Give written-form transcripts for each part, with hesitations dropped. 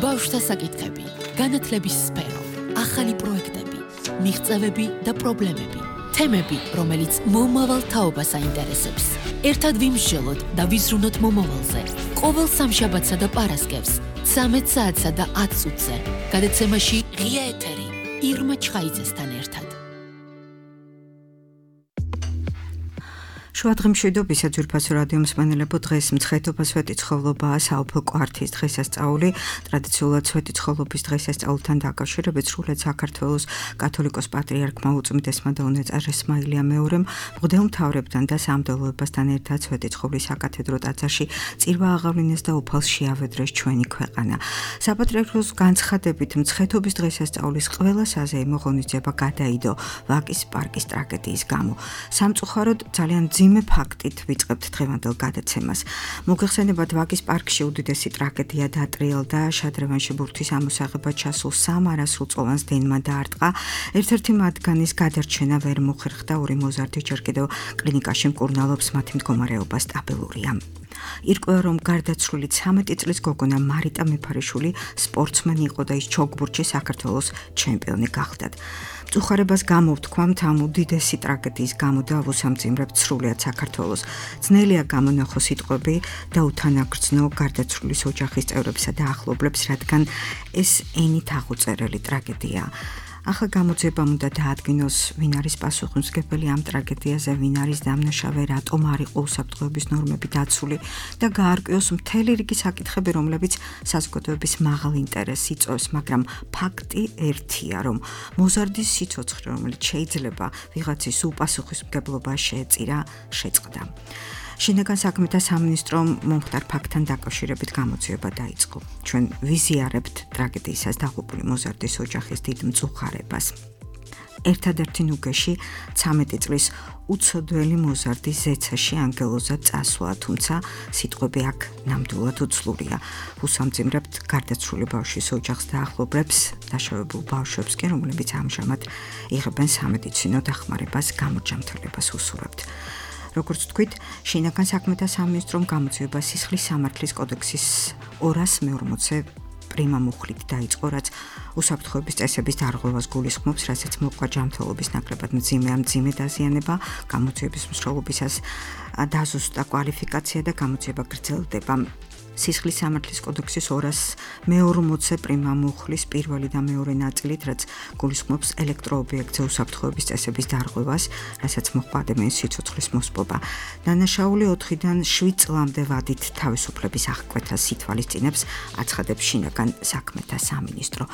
ბავშვთა საკითხები, განათლების სფერო, ახალი პროექტები, მიღწევები და პრობლემები, თემები, რომელიც მომავალ თაობას აინტერესებს. ერთად ვიმსჯელოთ და ვიზრუნოთ მომავალზე. ყოველ სამშაბათსა და პარასკევს, 13 საათსა და 10 წუთზე. გადაცემაში ღია ეთერი, ირმა ჩხაიძესთან ერთად. შუადღემშვიდობისა ძვირფასო რადიო მსმენელებო, დღეს მცხეთობა სვეტიცხოვლობაა საუფლო კვართის დღესასწაული. ტრადიციულად სვეტიცხოვლობის დღესასწაულთან დაკავშირებით სრულად საქართველოს კათოლიკოს პატრიარქმა უწმიდესმა და უნეწარ ესმაილია მეორემ მღვდელმთავრებთან და სამღვდელოებასთან ერთად სვეტიცხოვლის საკათედრო ტაძარში წირვა აღავლინეს და უფალს შეავედრეს ჩვენი ქვეყანა. საპატრიარქოს განცხადებით მცხეთობის დღესასწაულის ყველა საზეიმო ღონისძიება გადაიდო ვაკის პარკის ტრაგედიის გამო. სამწუხაროდ ძალიან ძიმე ფაქტით ვიწყებთ დღევანდელ გადაცემას. მოგეხსენებათ, ვაკის პარკში უდიდესი ტრაგედია დატრიალდა. შადრევანში ბურთის ამოსაღებად ჩასულ 3 არასრულწლოვანს დენმა დაარტყა. ერთ-ერთი მათგანის გადარჩენა ვერ მოხერხდა. 2 მოზარდი ჯერ კიდევ კლინიკაში მკურნალობს, მათი მდგომარეობა სტაბილურია. ირკვევა, რომ გარდაცვლილი 13 წლის გოგონა მარიტა მეფარიშვილი სპორტსმენი იყო და ის ჩოგბურთში საქართველოს ჩემპიონი გახდათ. მწუხარებას გამოვთქვამთ ამ უდიდესი ტრაგედიის გამო და ვუსამძიმრებთ სრულიად საქართველოს. ძნელია გამონახო სიტყვები და უთანაგრძნო გარდაცვლილის ოჯახის წევრებსა და ახლობლებს, რადგან ეს ენით აღუწერელი ტრაგედია. ახლა გამოძიებამ უნდა დაადგინოს, ვინ არის პასუხისმგებელი ამ ტრაგედიაზე, ვინ არის დამნაშავე, რატომ არ იყო უსაფრთხოების ნორმები დაცული და გაარკვიოს მთელი რიგი საკითხები, რომლებიც საზოგადოების მაღალ ინტერესს იწვევს, მაგრამ ფაქტი ერთია, რომ მოზარდის სიცოცხლე, რომელიც შეიძლება ვიღაცის უპასუხისმგებლობა შეეწირა, შეწყდა. შინაგან საქმეთა სამინისტრომ მომხდარ ფაქტთან დაკავშირებით გამოძიება დაიწყო. ჩვენ ვიზიარებთ ტრაგედიისას დაღუპული მოზარდის ოჯახის დიდ მწუხარებას. ერთადერთი ნუგეში 13 წლის უცოდველი მოზარდი ზეცაში ანგელოზად წასვლა, თუმცა სიტყვები აქ ნამდვილად უცლურია. უსამძიმრებთ გარდაცვლილი ბავშვის ოჯახს და ახლობლებს, დაშავებულ ბავშვებს კი, რომლებიც ამჟამად იღებენ სამედიცინო დახმარებას, გამოჯანმრთელებას უსურვებთ. როგორც თქვით, შინაგან საქმეთა სამინისტრომ გამოძიება სისხლის სამართლის კოდექსის 240 პრიმა მუხლით დაიწყო, რაც უსაფრთხოების წესების დარღვევას გულისხმობს, რასაც მოყვა ჯანმრთელობის ნაკლებად მძიმე დაზიანება, გამოძიების მსვლელობისას დაზუსტა კვალიფიკაცია და გამოძიება გრძელდება. სისხლის სამართლის კოდექსის 240 პრიმა მუხლის პირველი და მეორე ნაწილით, რაც გულისხმობს ელექტროობიექტზე უსაფრთხოების წესების დარღვევას, რასაც მოყვა ადამიანის სიცოცხლის მოსპობა. დანაშაული 4-დან 7 წლამდე ვადით თავისუფლების აღკვეთას ითვალისწინებს, აცხადებს შინაგან საქმეთა სამინისტრო.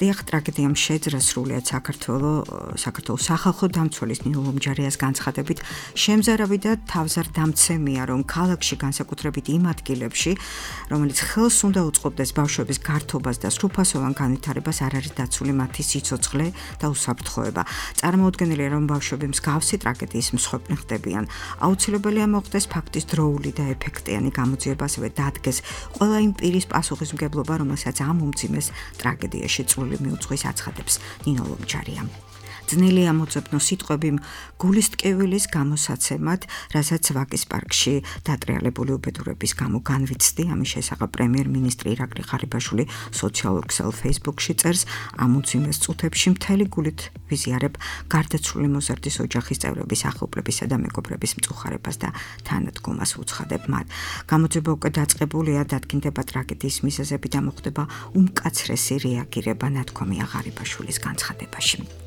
დიახ, ტრაგედიამ შეძრა სრულიად საქართველოს სახალხო დამცველის ნინო ლომჯარიას განცხადებით, შემზარავი და თავზარდამცემია, რომ ქალაქში განსაკუთრებით იმ ადგილებში, რომელიც ხელს უნდა უწყობდეს ბავშვების გართობას და სრულფასოვან განვითარებას, არ არის დაცული მათი სიცოცხლე და უსაფრთხოება. წარმოუდგენელია, რომ ბავშვები მსგავსი ტრაგედიის მსხვერპლი ხდებიან. აუცილებელია მოხდეს ფაქტის დროული და ეფექტიანი გამოძიება, ასევე დადგეს ყველა იმ პირის პასუხისმგებლობა, რომელსაც ამ უმძიმეს ტრაგედიაში წვლილი მიუძღვის, აცხადებს ნინო ლომჯარია. ძნელია მოძებნო სიტყვები გულისტკივილის გამოსაცემად, რასაც ვაკის პარკში დატრიალებული უბედურების გამო განვიცდი. ამის შესახებ პრემიერ-მინისტრი ირაკლი ღარიბაშვილი სოციალურ ქსელ Facebook-ში წერს, ამ უძიმეს წუთებში მთელი გულით ვიზიარებ გარდაცვლილი მოზარდის ოჯახის წევრების, ახლობლებისა და მეგობრების მწუხარებას და თანადგომას ვუცხადებ მათ. გამოძიება უკვე დაწყებულია, დადგინდება ტრაგედიის მიზეზები და მოხდება უმკაცრესი რეაგირება, ნათქვამია ღარიბაშვილის განცხადებაში.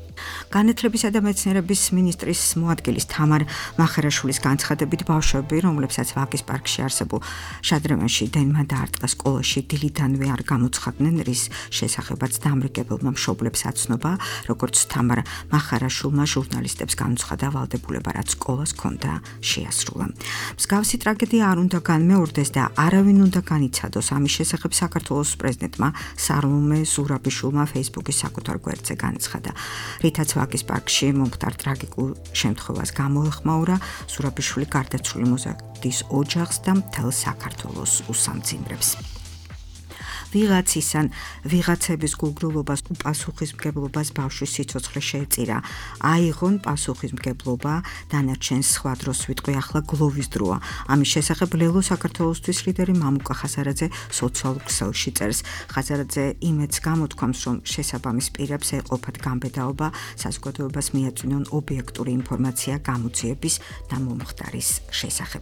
განათლებისა და მეცნიერების მინისტრის მოადგილის თამარ მახარაშვილის განცხადებით, ბავშვები, რომლებსაც ვაკის პარკში არსებულ შადრევანში დენმა დაარტყა სკოლაში, დილიდანვე არ გამოცხადდნენ, რის შესახებაც დამრიგებელმა მშობლებს აცნობა, როგორც თამარ მახარაშვილმა ჟურნალისტებს განუცხადა ვალდებულება, რაც სკოლას ჰქონდა შეასრულა. მსგავსი ტრაგედია არ უნდა განმეორდეს და არავინ უნდა განიცადოს. ამის შესახებ საქართველოს პრეზიდენტმა სარლუმე ზურაბიშვილმა Facebook-ის საკუთარ გვერდზე განაცხადა. რითაც ვაკის პარკში მომხდარ ტრაგიკულ შემთხვევას გამოეხმაურა, ზურაბიშვილი გარდაცვლილი მოზარდის ოჯახს და მთელ საქართველოს უსამძიმრებს. ვიღაცის ან ვიღაცების გულგრილობას უპასუხისმგებლობას ბავშვის სიცოცხლე შეეწირა. აიღონ პასუხისმგებლობა, დანარჩენს სხვა დროს ვიტყვი, ახლა გლოვის დროა. ამის შესახებ ლელო საქართველოსთვის ლიდერი მამუკა ხაზარაძე სოციალურ ქსელში წერს. ხაზარაძე იმედს გამოთქვამს, რომ შესაბამის პირებს ეყოფათ გამბედაობა, საზოგადოებას მიაწვინონ ობიექტური ინფორმაცია გამოძიების და მომხდარის შესახებ.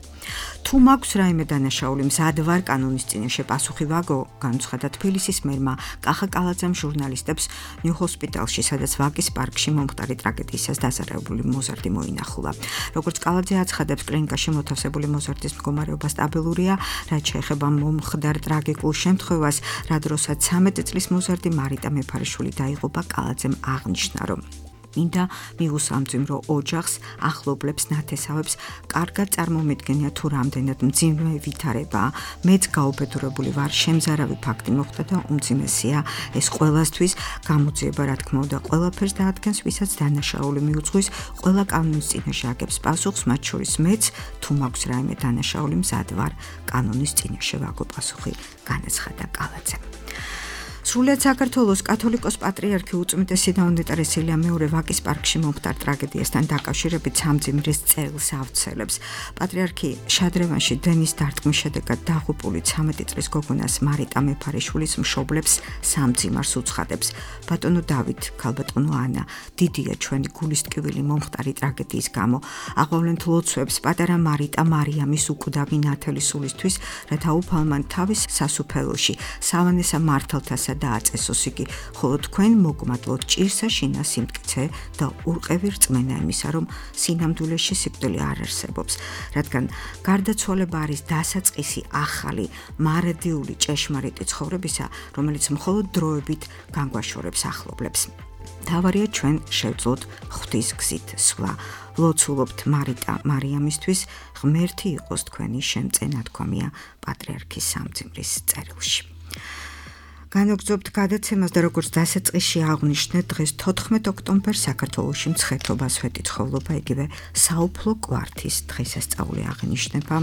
თუ მაქვს რაიმე დანაშაული, მზად ვარ კანონის წინაშე პასუხი ვაგო, განუცხადა თბილისის მერმა კახა კალაძემ ჟურნალისტებს ნიუ ჰოსპიტალში, სადაც ვაკის პარკში მომხდარი ტრაგედიისას დაზარალებული მოზარდი მოინახულა. როგორც კალაძე აცხადებს, კლინიკაში მოთავსებული მოზარდის მდგომარეობა სტაბილურია, რაც შეეხება მომხდარ ტრაგიკულ შემთხვევას, რა დროსაც 13 წლის მოზარდი მარიტა მეფარიშვილი დაიღუპა, კალაძემ აღნიშნა, რომ მინდა მიუსამძიმრო ოჯახს, ახლობლებს, ნათესავებს, კარგად წარმომიდგენია თუ რამდენად მძიმე ვითარებაა. მეც გაუბედურებული ვარ, შემზარავი ფაქტი მოხდა და უმძიმესია ეს ყველასთვის. გამოძიება, რა თქმა უნდა, ყველაფერს დაადგენს, ვისაც დანაშაული მიუძღვის, ყველა კანონის წინაშე აგებს პასუხს, მათ შორის მეც, თუ მაქვს რაიმე დანაშაული, მზად ვარ კანონის წინაშე ვაგო პასუხი, განაცხადა კალაძემ. სრულიად საქართველოს კათოლიკოს პატრიარქი უწმიდესი და უნეტარესილია მეორე ვაკის პარკში მომხდარ ტრაგედიასთან დაკავშირებით სამძიმრის წერილს ავრცელებს. პატრიარქი შადრევანში დენის დარტყმის შედეგად დაღუპული 13 წლის გოგონას მარიტა მეფარიშვილის მშობლებს სამძიმარს უცხადებს. ბატონო დავით, ქალბატონო ანა, დიდია ჩვენი გულისტკივილი მომხდარი ტრაგედიის გამო. აღვავლენთ ლოცვებს პატარა მარიტა მარიამის უკვდავი ნათელი სულისთვის, რათა უფალმან თავის სასუფეველში სავანესა მართალთასა დააწესოს იგი, ხოლო თქვენ მოგმადლოთ ჭირსა შინა სიმტკიცე და ურყევი რწმენა იმისა, რომ სინამდვილეში სიკვდილი არ არსებობს, რადგან გარდაცვალება არის დასაწყისი ახალი, მარადიული ჭეშმარიტი ცხოვრებისა, რომელიც მხოლოდ დროებით განგვაშორებს ახლობლებს. თავარია ჩვენ შევძლოთ ღვთის გზით სვლა. ლოცულობთ მარიტა მარიამისთვის, ღმერთი იყოს თქვენი შემწენათქვამია პატრიარქის სამძიმრის წერილში. განაგრძობთ გადაცემას და როგორც დასაწყისში აღვნიშნეთ, დღეს 14 ოქტომბერს საქართველოში მცხეთობა სვეტიცხოვლობა, იგივე საუფლო კვართის დღესასწაული აღინიშნება.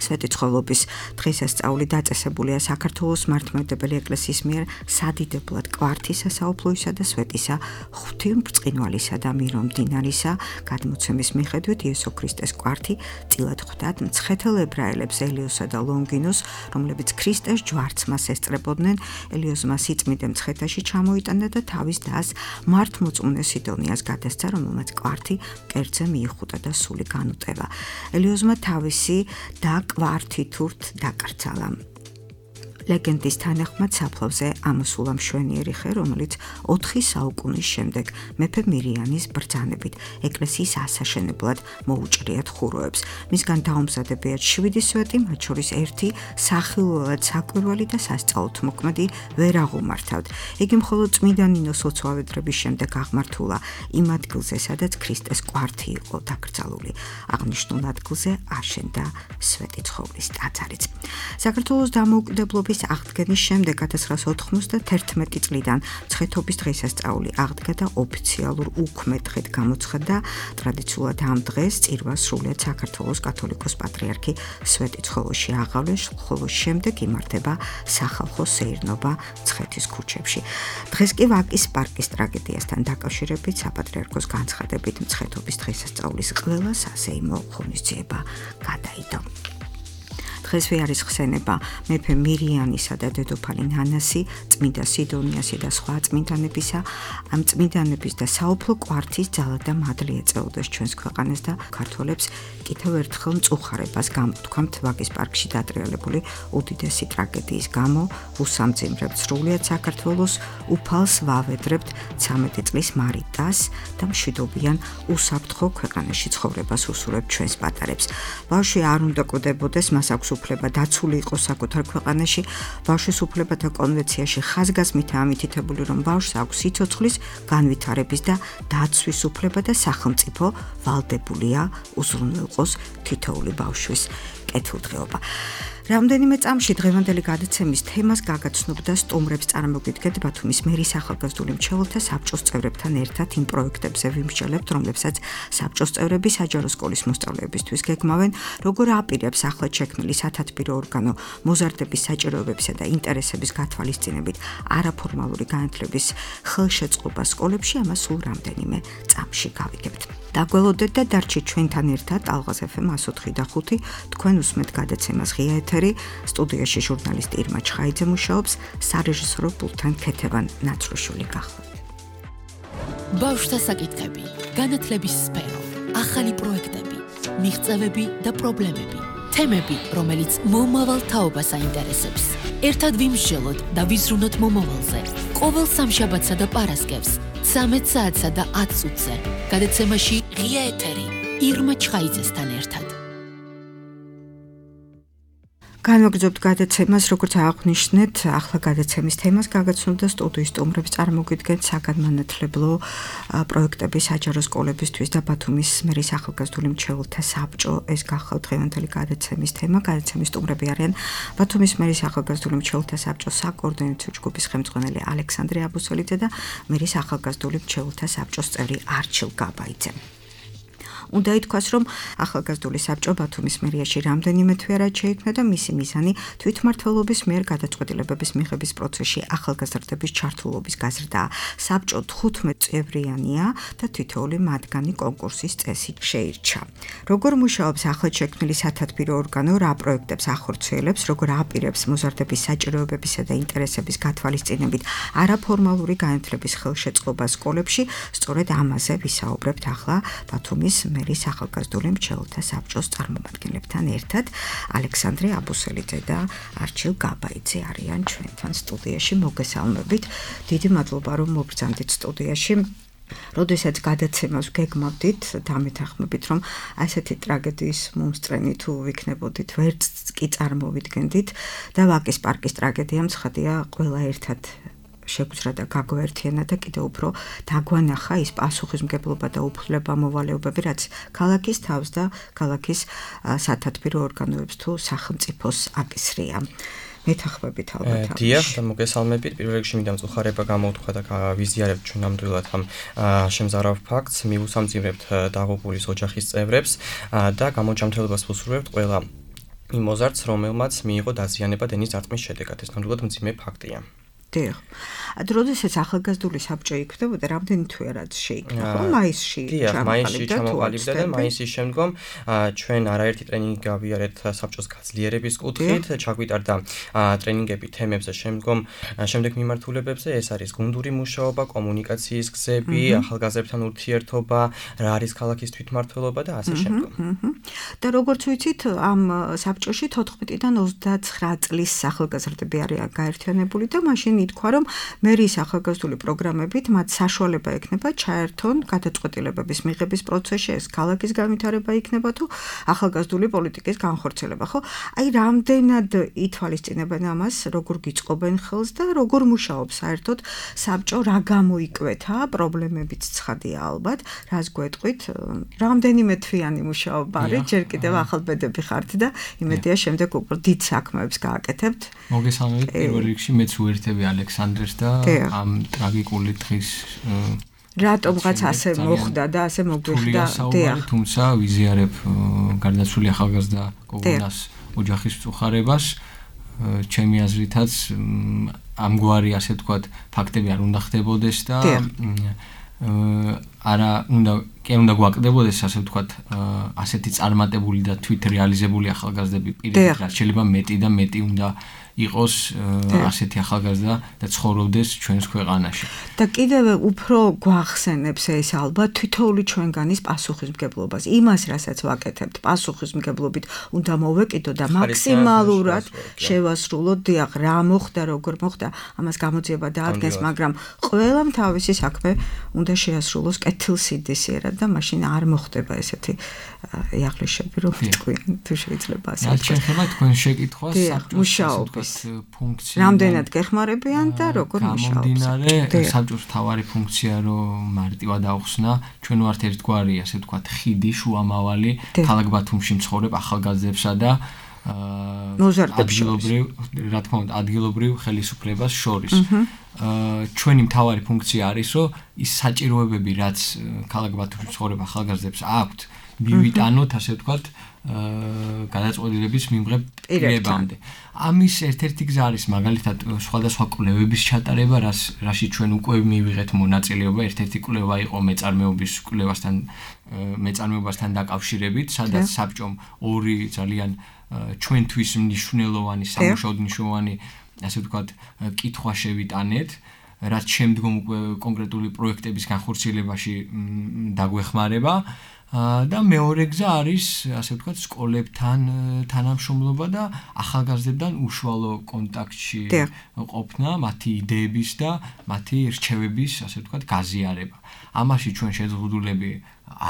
სვეტიცხოვლობის დღესასწაული დაწესებულია საქართველოს მართლმადიდებელი ეკლესიის მიერ სადიდებლად კვართისა, საუფლოისა და სვეტისა, ღვთისმბრწყინვალისა და მირომდინარისა გადმოცემის მიხედვით იესო ქრისტეს კვართი წილად ხვდათ მცხეთელ ებრაელებს ელიოსა და ლონგინოს, რომლებიც ქრისტეს ჯვარცმას ესწრებოდნენ. ელიოზმა სიწმიდე მცხეთაში ჩამოიტანა და თავის დას მართლმოწმუნე სიდონიას გადასცა, რომელმაც კვართი კერძზე მიიხუტა და სული განუტევა. ელიოზმა თავისი და კვართითურთ დაკრძალა. ლეგენდის თანახმად საფლავზე ამოსულა მშვენიერი ხე, რომელიც 4 საუკუნის შემდეგ მეფე მირიანის ბრძანებით ეკლესიის ასაშენებლად მოუჭრიათ ხუროებს. მისგან დაუმზადებიათ 7 სვეტი, მათ შორის 1 სახილველად საკვირველი და სასწაულთ მოქმედი ვერ აღუმართავთ. იგი მხოლოდ წმინდა ნინოს ლოცვავედრების შემდეგ აღმართულა იმ ადგილზე, სადაც ქრისტეს კვართი იყო დაკრძალული. აღნიშნულ ადგილზე აშენდა სვეტიცხოვლის ტაძარიც. საქართველოს დამოუკიდებლობის აღდგენის შემდეგ 1991 წლიდან მცხეთობის დღესასწაული აღდგა და ოფიციალურ უქმე დღედ გამოცხადდა. ტრადიციულად ამ დღეს წირვას სრულიად საქართველოს კათოლიკოს პატრიარქი სვეტიცხოვლში აღავლეს, ხოლო შემდეგ იმართება სახალხო სეირნობა მცხეთის ქუჩებში. დღეს კი ვაკის პარკის ტრაგედიასთან დაკავშირებით საპატრიარქოს განცხადებით მცხეთობის დღესასწაულის ყველა სასეიმო ღონისძიება გადაიდო. დღესვე არის ხსენება მეფე მირიანისა და დედოფალი ნანასი, წმინდა სიდონიასი და სხვა წმინდანებისა. ამ წმინდანების და საუფლო კვართის ძალა და მადლი ეწეოდეს ჩვენს ქვეყანას და ქართველებს კიდევ ერთხელ მწუხარებას გამოთქვამთ ვაკის პარკში დატრიალებული უდიდესი ტრაგედიის გამო. უსამძიმრებთ სრულიად საქართველოს, უფალს ვავედრებთ 13 წლის მარიტას და მშვიდობიან უსაფრთხო ქვეყანაში ცხოვრებას უსურვებთ ჩვენს პატარებს. ბავშვი არ უნდა კვდებოდეს, მას აქვს უფლება დაცული იყოს საკუთარ ქვეყანაში. ბავშვის უფლებათა კონვენციაში ხაზგასმით ამითითებული, რომ ბავშვს აქვს სიცოცხლის, განვითარების და დაცვის უფლება და სახელმწიფო ვალდებულია უზრუნველყოს თითოეული ბავშვის კეთილდღეობა. რამდენიმე წამში დღევანდელი გადაცემის თემას გაგაცნობდა სტუმრებს წარმოგიდგეთ ბათუმის მერის ახალგაზრდული მრჩეველთა საბჭოს წევრებთან ერთად იმ პროექტებზე ვიმსჯელებთ, რომლებსაც საბჭოს წევრები საჯარო სკოლის მოსწავლეებისთვის გეგმავენ, როგორ აპირებს ახლად შექმნილი სათათბირო ორგანო მოზარდების საჭიროებებისა და ინტერესების გათვალისწინებით არაფორმალური განათლების ხელშეწყობა სკოლებში, ამას სულ რამდენიმე წამში გავიგებთ. დაგველოდეთ და დარჩით ჩვენთან ერთად ალღაზ FM 104.5 თქვენ უსმენთ გადაცემას ღია ეთერი, სტუდიაში ჟურნალისტი ირმა ჩხაიძე მუშაობს, სარეჟისორო პულტთან ქეთევან ნაცროშვილი გახლავთ. ბავშვთა საკითხები, განათლების სფერო, ახალი პროექტები, მიღწევები და პრობლემები, თემები, რომელიც მომავალ თაობას აინტერესებს. ერთად ვიმსჯელოთ და ვიზრუნოთ მომავალზე. ყოველ სამშაბათსა და პარასკევს 13 საათსა და 10 წუთზე. გადაცემაში ღია ეთერი ირმა ჩხაიძესთან ერთად. განვაგრძობთ გადაცემას, როგორც აღვნიშნეთ, ახლა გადაცემის თემას გაგაცნობდა სტუდიის სტუმრებს წარმოგიდგენთ საგანმანათლებლო პროექტების საჯარო სკოლებისთვის და ბათუმის მერის ახალგაზრდული მრჩეველთა საბჭო. ეს გახლავთ დღევანდელი გადაცემის თემა. გადაცემის სტუმრები არიან ბათუმის მერის ახალგაზრდული მრჩეველთა საბჭოს საკოორდინაციო ჯგუფის ხელმძღვანელი ალექსანდრე აბუსელიძე და მერის ახალგაზრდული მრჩეველთა საბჭოს წევრი არჩილ გაბაიძე. უნდა ითქვას, რომ ახალგაზრდული საბჭო ბათუმის მერიაში რამდენიმე თვე არ შეიქმნა და მისი მიზანი თვითმმართველობის მიერ გადაწყვეტილებების მიღების პროცესში ახალგაზრდების ჩართულობის გაზრდაა. საბჭო 15 წევრიანია და თითოეული მათგანი კონკურსის წესით შეირჩა. როგორ მუშაობს ახლად შექმნილი სათათბირო ორგანო, რა პროექტებს ახორციელებს, როგორ აპირებს მოზარდების საჭიროებებისა და ინტერესების გათვალისწინებით არაფორმალური განათლების ხელშეწყობა სკოლებში, სწორედ ამაზე ვისაუბრებთ ახლა ბათუმის მერის ახალგაზრდული მრჩეველთა საბჭოს წარმომადგენლებთან ერთად. ალექსანდრე აბუსელიძე და არჩილ გაბაიძე არიან ჩვენთან სტუდიაში. მოგესალმებით. დიდი მადლობა, რომ მოგბრძანდით სტუდიაში. როდესაც გადაცემას გეგმავდით, დამეთანხმებით, რომ ასეთი ტრაგედიის მომსწრენი თუ ვიქნებოდით, ვერც კი წარმოვიდგენდით და ვაკის პარკის ტრაგედია მცხადია ყველა ერთად შეგვძრა და გაგვერთიანა და კიდევ უფრო დაგვანახა ის პასუხისმგებლობა და უფლება მოვალეობები, რაც ქალაქის თავს და ქალაქის სათათბირო ორგანოებს თუ სახელმწიფოს აკისრია. მეთანხმებით ალბათ. დიახ, და მოგესალმებით. პირველ რიგში მინდა მწუხარება გამოვთქვა და ვიზიარებთ ჩვენ ნამდვილად ამ შემზარავ ფაქტს, მივუსამძიმრებთ დაღუპულის ოჯახის წევრებს და გამოჯანმრთელებას ვუსურვებთ ყველა იმ მოზარდს, რომელმაც მიიღო დაზიანება დენის დარტყმის შედეგად. ეს ნამდვილად მძიმე ფაქტია. დიახ. როდესაც ახალგაზრდული საბჭო იქმნებოდა, რამდენი თვე რაც შეიქმნა, ხო? მაისში ჩამოყალიბდა და მაისის შემდგომ ჩვენ არაერთი ტრენინგი გავიარეთ საბჭოს გაძლიერების კუთხით, ჩაგვიტარდა ტრენინგები თემებზე, შემდეგ მიმართულებებზე, ეს არის გუნდური მუშაობა, კომუნიკაციის გზები, ახალგაზრდებთან ურთიერთობა, რა არის ქალაქის თვითმმართველობა და ასე შემდგომ. და როგორც ვიცით, ამ საბჭოში 14-დან 29 წლის ახალგაზრდები არიან გაერთიანებული და მაშინ ითქვა, რომ მერის ახალგაზრდული პროგრამებით მათ საშუალება ექნება ჩაერთონ გადაწყვეტილებების მიღების პროცესში, ეს ქალაქის განვითარება იქნება თუ ახალგაზრდული პოლიტიკის განხორციელება, ხო? აი, რამდენად ითვალისწინებენ ამას, როგორ გიწყობენ ხელს და როგორ მუშაობს საერთოდ საბჭო, რა გამოიკვეთა, პრობლემებიც ცხადია ალბათ, რას გვეტყვით, რამდენიმე თვიანი მუშაობა არის, ჯერ კიდევ ახალბედები ხართ და იმედია შემდეგ უკვე დიდ საქმეებს გააკეთებთ. მოგესალმებით, პირველ რიგში მეც უერთები ალექსანდრეს და ამ ტრაგიკული დღის რატომღაც ასე მოხდა და ასე მოგვიხდა. თუმცა ვიზიარებ გარდაცვლილი ახალგაზრდა გოგონას ოჯახის მწუხარებას. ჩემი აზრითაც ამგვარი ასე ვთქვათ ფაქტები არ უნდა ხდებოდეს და კი უნდა გვაკდებოდეს ასე ვთქვათ ასეთი წარმატებული და თვით რეალიზებული ახალგაზრდები პირდაპირ შეიძლება მეტი და მეტი უნდა იყოს ასეთი ახალგაზრდა და ცხოვრობდეს ჩვენს ქვეყანაში. და კიდევ უფრო გვახსენებს ეს ალბათ თითოეული ჩვენგანის პასუხისმგებლობას, იმას, რასაც ვაკეთებთ, პასუხისმგებლობით უნდა მოვეკიდო და მაქსიმალურად შევასრულოთ. დიახ, რა მოხდა, როგორ მოხდა, ამას გამოძიება დაადგენს, მაგრამ ყველამ თავისი საქმე უნდა შეასრულოს კეთილსინდისიერად და მაშინ არ მოხდება ესეთი იაღლიშები, რომ თქვენ თუ შეიძლება ასე ვთქვათ. შეიძლება თქვენ შეკითხვას მუშაობის ფუნქცია. რამდენად გეხმარებიან და როგორ მუშაობს. გამომდინარე, საბჭოს მთავარი ფუნქცია რომ მარტივად აუხსნა, ჩვენ ვართ ერთგვარი, ასე ვთქვათ, ხიდი, შუამავალი ქალაქ ბათუმში მცხოვრებ ახალგაზრდებსა და ადგილობრივ, რა თქმა უნდა, ადგილობრივ ხელისუფლებას შორის. ჩვენი მთავარი ფუნქცია არის, რომ ის საჭიროებები, რაც ქალაქ ბათუმში ცხოვრებ ახალგაზრდებს აქვთ, მივიტანოთ, ასე ვთქვათ, გადაწყვეტილების მიმღებ პირებამდე. ამის ერთ-ერთი გზა არის მაგალითად სხვადასხვა კვლევების ჩატარება, რაში ჩვენ უკვე მივიღეთ მონაწილეობა. ერთ-ერთი კვლევა იყო მეწარმეობასთან დაკავშირებით, სადაც საბჭომ ორი ძალიან ჩვენთვის მნიშვნელოვანი, სამუშაოდ მნიშვნელოვანი, ასე ვთქვათ, კითხვა შევიტანეთ, რაც შემდგომ უკვე კონკრეტული პროექტების განხორციელებაში დაგვეხმარება. და მეორე გზა არის, ასე ვთქვათ, სკოლებთან თანამშრომლობა და ახალგაზრდებთან უშუალო კონტაქტში ყოფნა, მათი იდეების და მათი რჩევების, ასე ვთქვათ, გაზიარება. ამაში ჩვენ შეზღუდულები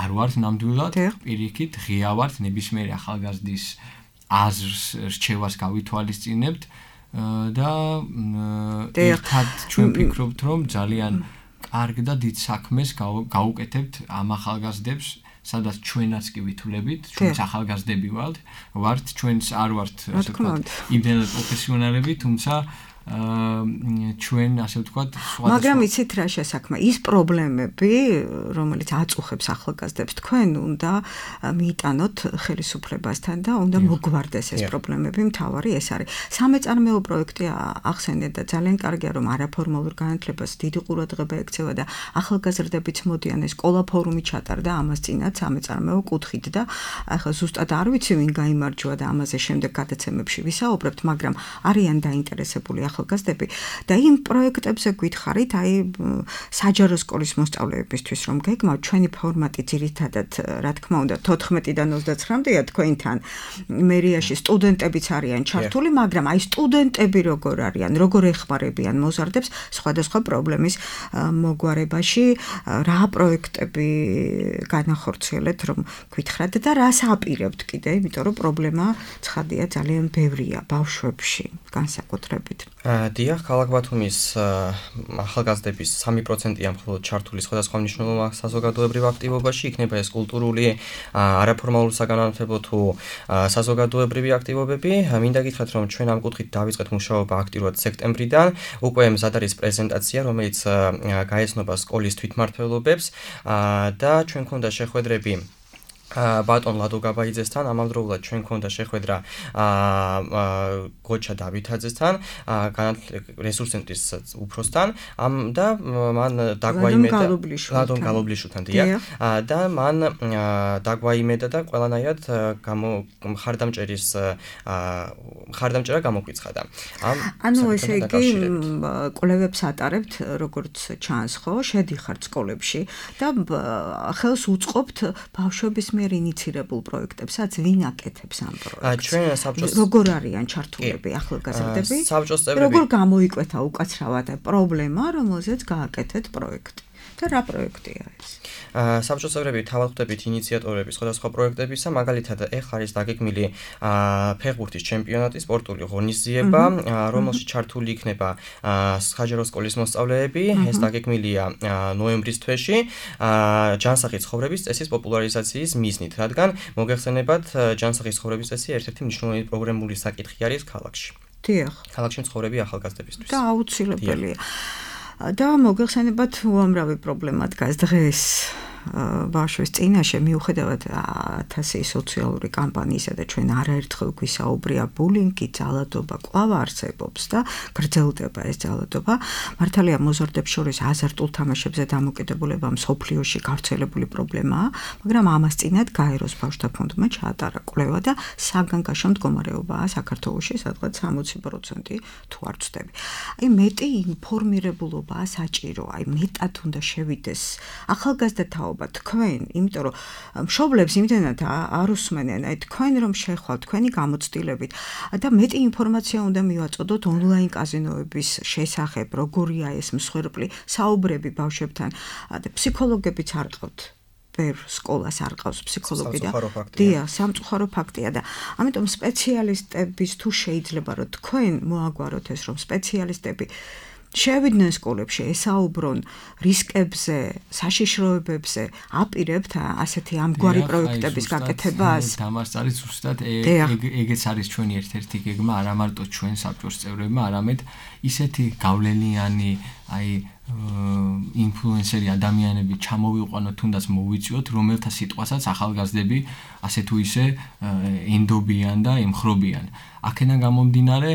არ ვართ ნამდვილად, პირიქით ღია ვართ ნებისმიერი ახალგაზრდის აზრს, რჩევას გავითვალისწინებთ და ერთად ჩვენ ვფიქრობთ, რომ ძალიან კარგ და დიდ საქმეს გაუკეთებთ ამ ახალგაზრდებს, სადაც ჩვენაც კი ვითვლებით, ჩვენც ახალგაზრდები ვართ, ჩვენც არ ვართ, ასე ვთქვათ, იმდენად პროფესიონალები, თუმცა ჩვენ, ასე ვთქვათ, მაგრამ იცით რა შესაქმე, ის პრობლემები, რომელიც აწუხებს ახალგაზრდებს, თქვენ უნდა მიიტანოთ ხელისუფლებასთან და უნდა მოგვარდეს ეს პრობლემები, მთავარი ეს არის. სამეწარმეო პროექტი ახსენეთ და ძალიან კარგია, რომ არაფორმალურ განათლებას დიდი ყურადღება ექცევა და ახალგაზრდებიც მოდიან, ეს სკოლა ფორუმი ჩატარდა ამას წინათ სამეწარმეო კუთხით და ახლა ზუსტად არ ვიცი ვინ გაიმარჯვა და ამაზე შემდეგ გადაცემებში ვისაუბრებთ, მაგრამ არიან დაინტერესებული ახალგაზრდები და იმ პროექტებზე გითხარით, აი საჯარო სკოლის მოსწავლეებისთვის რომ გეგმავთ, ჩვენი ფორმატი ძირითადად, რა თქმა უნდა, 14-დან 29-მდეა თქვენთან. მერიაში სტუდენტებიც არიან ჩართული, მაგრამ აი სტუდენტები როგორ არიან, როგორ ეხმარებიან მოზარდებს სხვადასხვა პრობლემის მოგვარებაში, რა პროექტები განახორციელეთ, რომ გითხრათ და რას აპირებთ კიდე, იმიტომ რომ პრობლემა ცხადია ძალიან ბევრია ბავშვებში, განსაკუთრებით. დიახ, ქალაქ ბათუმის ახალგაზრდების 3%-ია მხოლოდ ჩართული სხვადასხვა მნიშვნელოვან საზოგადოებრივ აქტივობაში, იქნება ეს კულტურული, არაფორმალურ საგანმანათლებლო თუ საზოგადოებრივი აქტივობები. მინდა გითხრათ, რომ ჩვენ ამ კუთხით დავიწყეთ მუშაობა აქტიურად სექტემბრიდან. უკვე მზად არის პრეზენტაცია, რომელიც გაეცნობა სკოლის თვითმმართველობებს და ჩვენ გქონდა შეხვედრები ბატონ ლადო გაბაიძესთან, ამავდროულად ჩვენ გქონდა შეხვედრა გოჩა დავითაძესთან, რესურს ცენტრის უფროსთან, და მან დაგვაიმედა ლადონ გალობლიშვილთან და მან დაგვაიმედა და ყველანაირად მხარდამჭერა გამოგვიცხადა. ანუ ესე იგი კვლევებს ატარებთ, როგორც ჩანს, ხო, შედიხართ სკოლებში და ხელს უწყობთ ბავშვების ინიცირებულ პროექტებსაც, ვინ აკეთებს ამ პროექტს? ჩვენ საბჭოს როგორ არიან ჩართულები ახალგაზრდები? საბჭოს წევრები როგორ გამოიკვეთა უკაცრავად პრობლემა, რომელზეც გააკეთეთ პროექტი? და რა პროექტია ეს? საბჭოს წევრები თავად ხვდებით ინიციატორები სხვადასხვა პროექტებისა, მაგალითად ეხლა არის დაგეგმილი ფეხბურთის ჩემპიონატი, სპორტული ღონისძიება, რომელშიც ჩართული იქნება საჯარო სკოლის მოსწავლეები. ეს დაგეგმილია ნოემბრის თვეში, ჯანსაღი ცხოვრების წესის პოპულარიზაციის მიზნით, რადგან მოგეხსენებათ, ჯანსაღი ცხოვრების წესი ერთ-ერთი მნიშვნელოვანი პროგრამული საკითხი არის ქალაქში. დიახ. ქალაქში მცხოვრები ახალგაზრდებისთვის. და აუცილებელია. და მოგეხსენებათ, უამრავი პრობლემა დგას დღეს ბავშვის წინაშე, მიუხედავად 1000 სოციალური კამპანიისა და ჩვენ არაერთხელ გვისაუბრია ბულინგი, ძალადობა კვლავ არსებობს და გრძელდება ეს ძალადობა. მართალია მოზარდებს შორის აზარტულ თამაშებზე დამოკიდებულება მსოფლიოში გავრცელებული პრობლემაა, მაგრამ ამას წინათ გაეროს ბავშვთა ფონდმა ჩაატარა კვლევა და საგანგაშო მდგომარეობაა საქართველოში, სადღაც 60% თუ არ ვცდები. აი მეტი ინფორმირებულობაა საჭირო, აი მეტად უნდა შევიდეს ახალგაზრდათა თქვენ, იმიტომ რომ მშობლებს იმდენად არ უსმენენ, აი თქვენ რომ შეხვალთ თქვენი გამოცდილებით და მეტი ინფორმაცია უნდა მივაწოდოთ ონლაინ კაზინოების შესახებ, როგორია ეს მსხვერპლი საუბრები ბავშვებთან და ფსიქოლოგებიც არ ყავთ. ბევრ სკოლას არ ყავს ფსიქოლოგი და დიახ, სამწუხარო ფაქტია და ამიტომ სპეციალისტების თუ შეიძლება რომ თქვენ მოაგვაროთ ეს რომ სპეციალისტები შევიდნენ სკოლებში, ესაუბრონ რისკებზე, საშიშროებებზე, აპირებთ ასეთი ამგვარი პროექტების გაკეთებას. დამასწარი ზუსტად ეგეც არის ჩვენი ერთ-ერთი გეგმა, არა მარტო ჩვენ საბჭოს წევრებმა, არამედ ისეთი გავლენიანი, ინფლუენსერი ადამიანები ჩამოვიყვანოთ, თუნდაც მოვიწიოთ, რომელთა სიტყვასაც ახალგაზრდები ასე თუ ისე ენდობიან და ემხრობიან. აქედან გამომდინარე,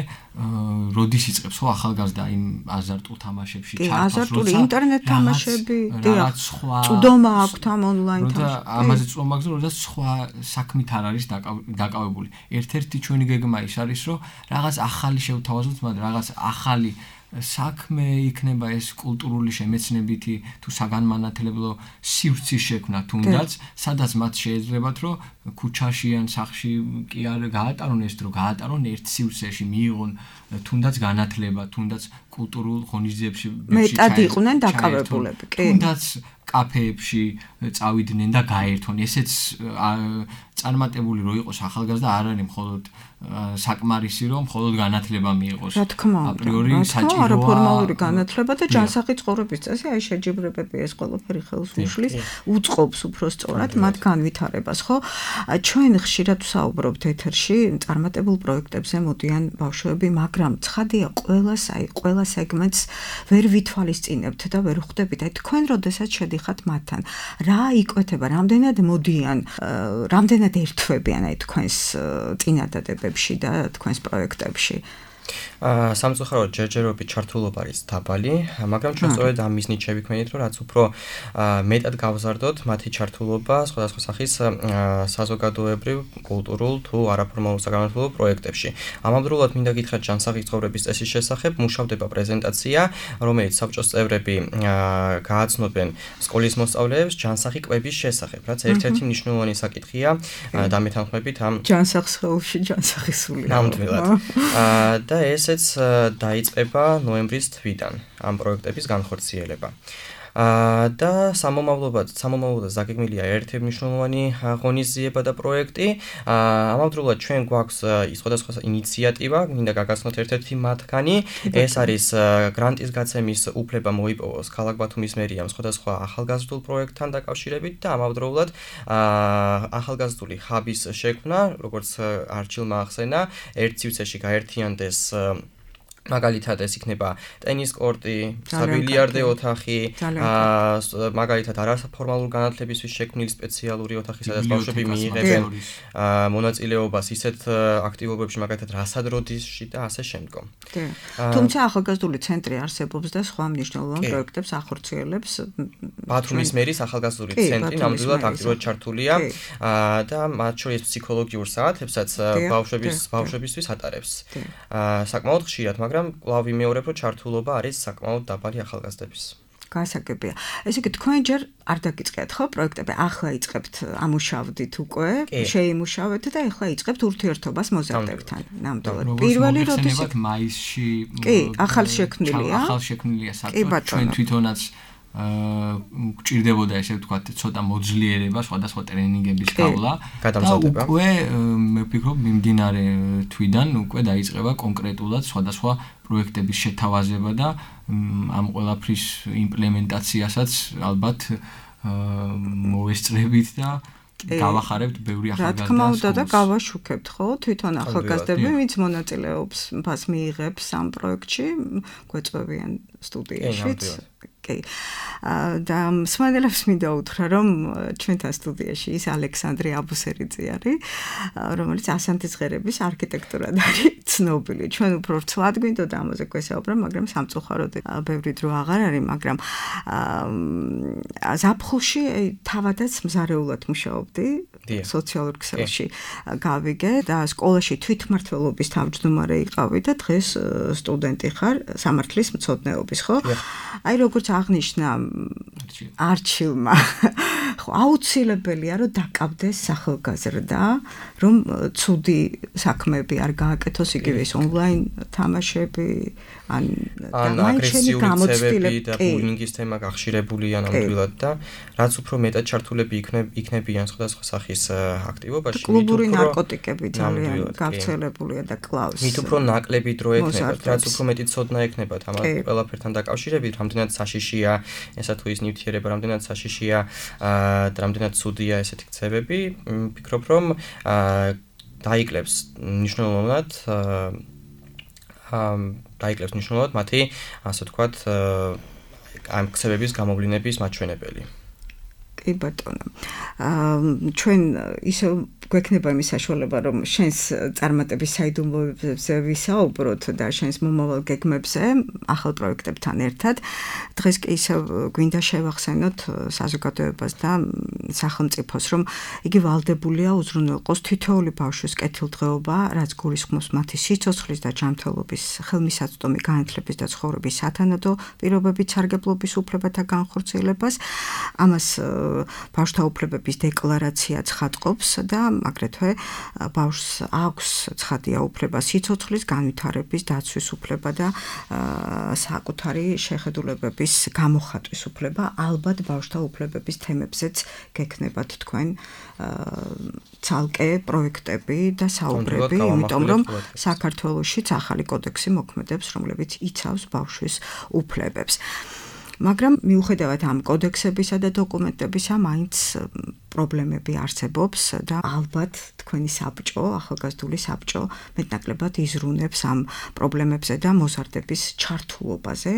როდის იწყებს ხო ახალგაზრდა იმ აზარტულ თამაშებში ჩართვას, აზარტული ინტერნეტ თამაშები, რაღაც სხვა წვდომა აქვთ ამ ონლაინ თამაშებში. ამაზე წვდომა აქვს, როდესაც სხვა საქმით არ არის დაკავებული. ერთ-ერთი ჩვენი გეგმა ის არის, რომ რაღაც ახალი შევთავაზოთ, მაგრამ რაღაც ახალი საქმე იქნება ეს კულტურული შემეცნებითი თუ საგანმანათლებლო სივრცის შექმნა თუნდაც, სადაც მათ შეეძლებათ, რომ ქუჩაში ან სახლში კი არ გაატარონ ეს დრო, გაატარონ ერთ სივრცეში, მიიღონ თუნდაც განათლება, თუნდაც კულტურულ ღონისძიებებში მეტად იყვნენ დაკავებულები, კი. თუნდაც კაფეებში წავიდნენ და გაერთონ. ესეც წარმატებული რო იყოს ახალგაზრდა არ არის მხოლოდ საკმარისი რომ მხოლოდ განათლება მიიღოს. რა თქმა უნდა, აპრიორი საჭიროა ფორმალური განათლება და ჯანსაღი ცხოვრების წესი, შეჯიბრებები ეს ყველაფერი ხელს უშლის, უწყობს უფრო სწორად მათ განვითარებას, ხო? ჩვენ ხშირად ვსაუბრობთ ეთერში წარმატებულ პროექტებზე მოდიან ბავშვები, მაგრამ ცხადია ყველა სეგმენტს ვერ ვითვალისწინებთ და ვერ ხვდებით. თქვენ როდესაც შედიხართ მათთან, რა იკვეთება, რამდენად მოდიან, რამდენად ერთვებიან თქვენს წინადადებებში და თქვენს პროექტებში? სამწუხაროდ ჯერჯერობით ჩართულობა არის დაბალი, მაგრამ ჩვენ სწორედ ამ მიზნით შევიქმნით, რომ რაც უფრო მეტად გავზარდოთ მათი ჩართულობა სხვადასხვა სახის საზოგადოებრივ, კულტურულ თუ არაფორმალურ საგანმანათლებლო პროექტებში. ამავდროულად მინდა გითხრათ ჯანსაღი ცხოვრების წესის შესახებ, მუშავდება პრეზენტაცია, რომელიც საბჭოს წევრები გააცნობენ სკოლის მოსწავლეებს ჯანსაღი კვების შესახებ, რაც ერთ-ერთი მნიშვნელოვანი საკითხია დამეთანხმებით ამ ჯანსაღ სხეულში ჯანსაღი სული. ნამდვილად. და ესეც დაიწყება ნოემბრის თვიდან ამ პროექტების განხორციელება. და სამომავლოდ ზაგეგმილია ერთ-ერთი მნიშვნელოვანი ღონისძიება და პროექტი. ამავდროულად ჩვენ გვაქვს სხვადასხვა ინიციატივა, მინდა გაგაცნოთ ერთ-ერთი მათგანი. ეს არის გრანტის გაცემის უფლება მოიპოვოს ქალაქ ბათუმის მერიამ სხვადასხვა ახალგაზრდულ პროექტთან დაკავშირებით და ამავდროულად ახალგაზრდული ჰაბის შექმნა, როგორც არჩილმა ახსენა, ერთ სივრცეში გაერთიანდეს მაგალითად ეს იქნება ტენის კორტი, საბილიარდე ოთახი, მაგალითად არაფორმალურ განათლებისთვის შექმნილი სპეციალური ოთახი, სადაც ბავშვები მიიღებენ მონაწილეობას ისეთ აქტივობებში, მაგალითად რასადროდისში და ასე შემდგომ. თუმცა ახალგაზრდული ცენტრი არსებობს და სხვა მნიშვნელოვან პროექტებს ახორციელებს. ბათუმის მერის ახალგაზრდული ცენტრი ნამდვილად აქტიურად ჩართულია და მათ შორის ფსიქოლოგიურ საათებსაც ბავშვებისთვის ატარებს. საკმაოდ ხშირად, მაგრამ კვლავ ვიმეორებ, რომ ჩართულობა არის საკმაოდ დაბალი ახალგაზრდების. გასაგებია. ესე იგი თქვენ ჯერ არ დაგიწყეთ ხო პროექტები, ახლა იწყებთ ამუშავდით უკვე, შეიმუშავეთ და ახლა იწყებთ ურთიერთობას მოზარდებთან. ნამდვილად. პირველი როდესაც მაისში ახალშექმნილია საბჭო, ჩვენ თვითონაც გვჭირდებოდა ესე ვთქვათ ცოტა მოძლიერება სხვადასხვა ტრენინგების გავლა და უკვე მე ვფიქრობ მიმდინარე თვიდან უკვე დაიწყება კონკრეტულად სხვადასხვა პროექტების შეთავაზება და ამ ყველაფრის იმპლემენტაციასაც ალბათ მოვესწრებით და გავახარებთ ბევრი ახალგაზრდა. რა თქმა უნდა და გავაშუქებთ ხო თვითონ ახალგაზრდები, ვინც მონაწილეობს, მას მიიღებს ამ პროექტში, გვეწვევიან სტუდიაშიც. კი. და მსმენელებს მინდა უთხრა, რომ ჩვენთან სტუდიაში ის ალექსანდრე აბუსერიძე არის, რომელიც ასანთის ღერების არქიტექტურად არის ცნობილი. ჩვენ უფრო რცლად გვინდოდა ამაზე გვესაუბრა, მაგრამ სამწუხაროდ ბევრი დრო აღარ არის, მაგრამ ზაფხულში თავადაც მზარეულად მუშაობდი სოციალურ ქსელში გავიგე და სკოლაში თვითმმართველობის თავმჯდომარე იყავი და დღეს სტუდენტი ხარ სამართლის მცოდნეობის, ხო? აი როგორც აღნიშნა არჩილმა ხო, აუცილებელია რომ დაკავდეს ახალგაზრდა, რომ ცუდი საქმეები არ გააკეთოს, იგივე ის ონლაინ თამაშები, ან აგრესიული ცევები და ბულინგის თემა გახშირებულია ნამდვილად და რაც უფრო მეტად ჩართულები იქნებიან სხვადასხვა სახის აქტივობაში, კლუბური ნარკოტიკები ძალიან გავრცელებულია და კლავს. მით უფრო ნაკლები დრო ექნებათ, რაც უფრო მეტი ცოდნა ექნებათ ამ ყველაფერთან დაკავშირებით, რამდენად საშიშია ესა თუ ის ნივთიერება, რამდენად საშიშია და რამდენად ცუდია ესეთი ქცევები, ვფიქრობ რომ დაიკლებს მნიშვნელოვნად მათი, ასე ვთქვათ, ამ ქცევების გამოვლინების მაჩვენებელი. კი ბატონო. ჩვენ ისე გვექნება იმის საშუალება, რომ შენს წარმატების საიდუმლოებზე ვისაუბროთ და შენს მომავალ გეგმებზე, ახალ პროექტებთან ერთად. დღეს კი ისე გვინდა შევახსენოთ საზოგადოებას და სახელმწიფოს, რომ იგი ვალდებულია უზრუნველყოს თითოეული ბავშვის კეთილდღეობა, რაც გულისხმობს მათი სიცოცხლის და ჯანმრთელობის, ხელმისაწვდომი განათლების და ცხოვრების სათანადო პირობებით სარგებლობის უფლებათა განხორციელებას. ამას ბავშვთა უფლებების დეკლარაცია ცხადყოფს და აგრეთვე ბავშვს აქვს ცხადია უფლება სიცოცხლის განვითარების დაცვის უფლება და საკუთარი შეხედულებების გამოხატვის უფლება. ალბათ ბავშვთა უფლებების თემებზეც გექნებათ თქვენ ცალკე პროექტები და საუბრები, იმიტომ რომ საქართველოშიც ახალი კოდექსი მოქმედებს, რომლებიც იცავს ბავშვის უფლებებს. მაგრამ მიუხედავად ამ კოდექსებისა და დოკუმენტებისა, მაინც პრობლემები არსებობს და ალბათ თქვენი საბჭო, ახალგაზრდული საბჭო მეტნაკლებად იზრუნებს ამ პრობლემებზე და მოზარდების ჩართულობაზე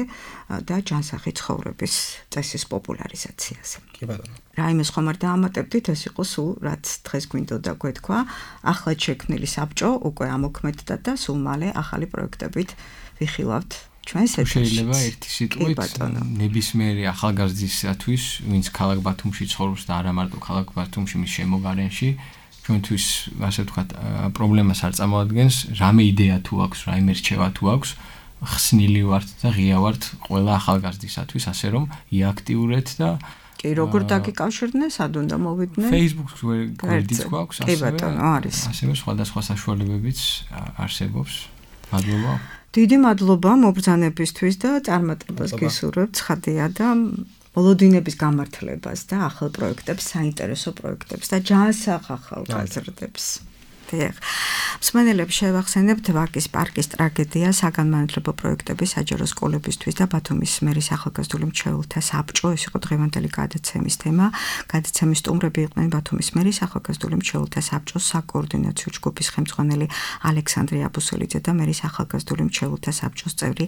და ჯანსაღი ცხოვრების წესის პოპულარიზაციაზე. კი ბატონო. რაიმეს ხომ არ დაამატებდით, ეს იყო სულ რაც დღეს გვინდოდა გვეთქვა, ახლად შექმნილი საბჭო უკვე ამოქმედდა და სულ მალე ახალი პროექტებით ვიხილავთ. შეიძლება ერთი სიტყვით ნებისმიერი ახალგაზრდისათვის, ვინც ქალაქ ბათუმში ცხოვრობს და არა მარტო ქალაქ ბათუმში, მის შემოგარენში, ჩვენთვის, ასე ვთქვათ, პრობლემას არ წარმოადგენს, რამე იდეა თუ აქვს, რაიმე რჩევა თუ აქვს, ხსნილი ვართ და ღია ვართ ყველა ახალგაზრდისათვის, ასე რომ იაქტიურეთ და კი, როგორ დაგიკავშირდნენ, სად უნდა მოვიდნენ? Facebook-ს გვერდიც გვაქვს, კი ბატონო, არის. ასევე სხვადასხვა საშუალებებიც არსებობს. მადლობა. დიდი მადლობა მობრძანებისთვის და წარმატებას გისურვებთ, ცხადია და მოლოდინების გამართლებას და ახალ პროექტებს, საინტერესო პროექტებს და ჯანსაღ ახალგაზრდებს. მსმენელებს შევახსენებთ ვაკის პარკის ტრაგედია, საგანმანათლებლო პროექტები საჯარო სკოლებისთვის და ბათუმის მერის ახალგაზრდული მრჩეველთა საბჭო. ეს იყო დღევანდელი გადაცემის თემა. გადაცემის სტუმრები იყვნენ ბათუმის მერის ახალგაზრდული მრჩეველთა საბჭოს საკოორდინაციო ჯგუფის ხელმძღვანელი ალექსანდრე აბუსელიძე და მერის ახალგაზრდული მრჩეველთა საბჭოს წევრი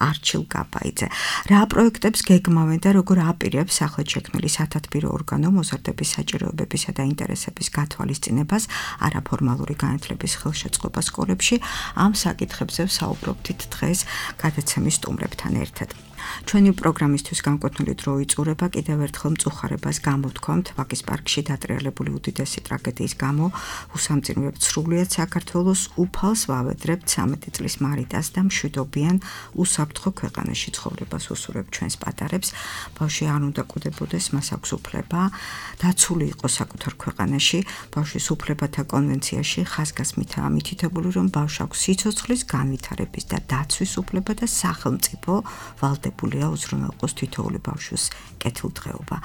არჩილ გაბაიძე. რა პროექტებს გეგმავენ და როგორ აპირებს ახლად შექმნილი სათათბირო ორგანო მოზარდების საჭიროებებისა და ინტერესების გათვალისწინებას არაფორმალურ განათლების ხელშეწყობა სკოლებში, ამ საკითხებზე ვსაუბრობთ დღეს გადაცემის სტუმრებთან ერთად. ჩვენი პროგრამისთვის განკუთვნილი დრო იწურება კიდევ ერთხელ მწუხარებას გამოთქვამთ ვაკის პარკში დატრიალებული უდიდესი ტრაგედიის გამო. უსამძიმრებთ სრულიად საქართველოს, უფალს ვავედრებთ 13 წლის მარიტას და მშვიდობიან უსაფრთხო ქვეყანაში ცხოვრებას უსურვებთ ჩვენს პატარებს. ბავშვი არ უნდა კვდებოდეს, მას აქვს უფლება დაცული იყოს საკუთარ ქვეყანაში. ბავშვის უფლებათა კონვენციაში ხაზგასმითაა მითითებული, რომ ბავშვს აქვს სიცოცხლის განვითარების და დაცვის უფლება და სახელმწიფო ვალდებულია უზრუნველყოს თითოეული ბავშვის კეთილდღეობა.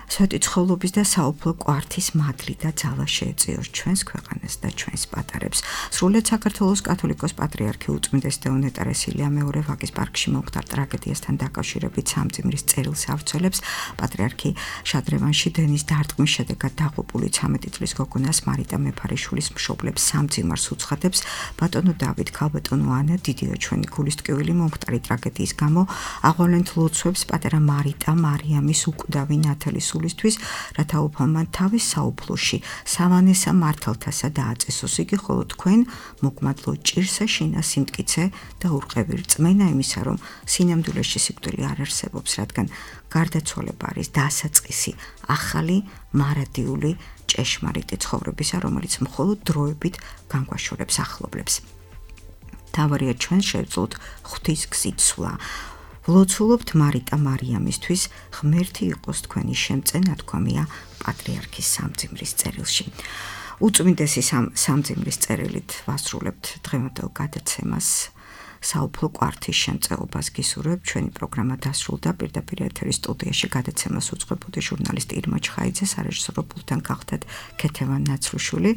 სვეტი ცხოვრობის და საუფლო კვართის მადლი და ძალა შეეწიოს ჩვენს ქვეყანას და ჩვენს პატარებს. სრულიად საქართველოს კათოლიკოს პატრიარქი უწმინდესი დეონე ტერესილია მეორე ვაკის პარკში მომხდარ ტრაგედიასთან დაკავშირებით სამძიმრის წერილს ავრცელებს. პატრიარქი შადრევანში დენის დარტყმის შედეგად დაღუპული 13 წლის გოგონას მარიტა მეფარიშვილის მშობლებს სამძიმარს უცხადებს. ბატონო დავით, ქალბატონო ანა, დიდია ჩვენი გულისტკივილი მომხდარი ტრაგედიის გამო. აღვავლენთ ლოცვებს პატარა მარიტა მარიამის უკვდავი ნათელის ისთვის, რათა უფალმა თავის საუფლოში სავანესა მართალთასა დააწესოს იგი, ხოლო თქვენ მოგმადლო ჭირსა შინა სიმტკიცე და ურყევი რწმენა იმისა, რომ სინამდვილეში სიკვდილი არ არსებობს, რადგან გარდაცვალება არის დასაწყისი ახალი მარადიული ჭეშმარიტი ცხოვრებისა, რომელიც მხოლოდ დროებით განგვაშორებს ახლობლებს. თავარია ჩვენ შევძლოთ ღვთის გზით სვლა. ვლოცულობთ მარიტა მარიამისთვის, ღმერთი იყოს თქვენი შემწე, ნათქვამია პატრიარქის სამძიმრის წერილში. უწმინდესი სამძიმრის წერილით ვასრულებთ დღევანდელ გადაცემას. საუფლო კვართის შემწეობას გისურვებ. ჩვენი პროგრამა დასრულდა. პირდაპირ ეთერის სტუდიაში გადაცემას უძღვებოდი ჟურნალისტი ირმა ჩხაიძე, სარეჟისორო პულტთან გახდათ ქეთევან ნაცრუშვილი.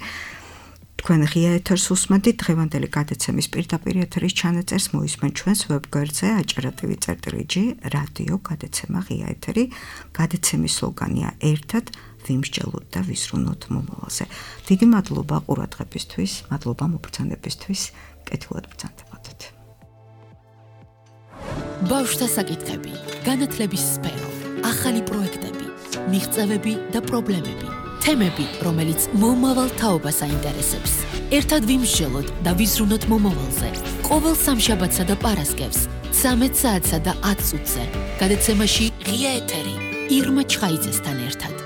თქვენ ღია ეთერს უსმენთ. დღევანდელი გადაცემის პირდაპირ ეთერის ჩანაწერს მოისმენთ ჩვენს ვებგვერდზე aჭრატივი.g რადიო გადაცემა ღია ეთერი. გადაცემის სლოგანია ერთად ვიმსჯელოთ და ვიზრუნოთ მომავალზე. დიდი მადლობა ყურადღებისთვის, მადლობა მობრძანებისთვის. კეთილად ბრძანდებოდეთ. ბავშვთა საკითხები, განათლების სფერო, ახალი პროექტები, მიღწევები და პრობლემები, თემები, რომელიც მომავალ თაობას აინტერესებს. ერთად ვიმსჯელოთ და ვიზრუნოთ მომავალზე. ყოველ სამშაბათსა და პარასკევს 13 საათსა და 10 წუთზე. გადაცემაში ღია ეთერი ირმა ჩხაიძესთან ერთად.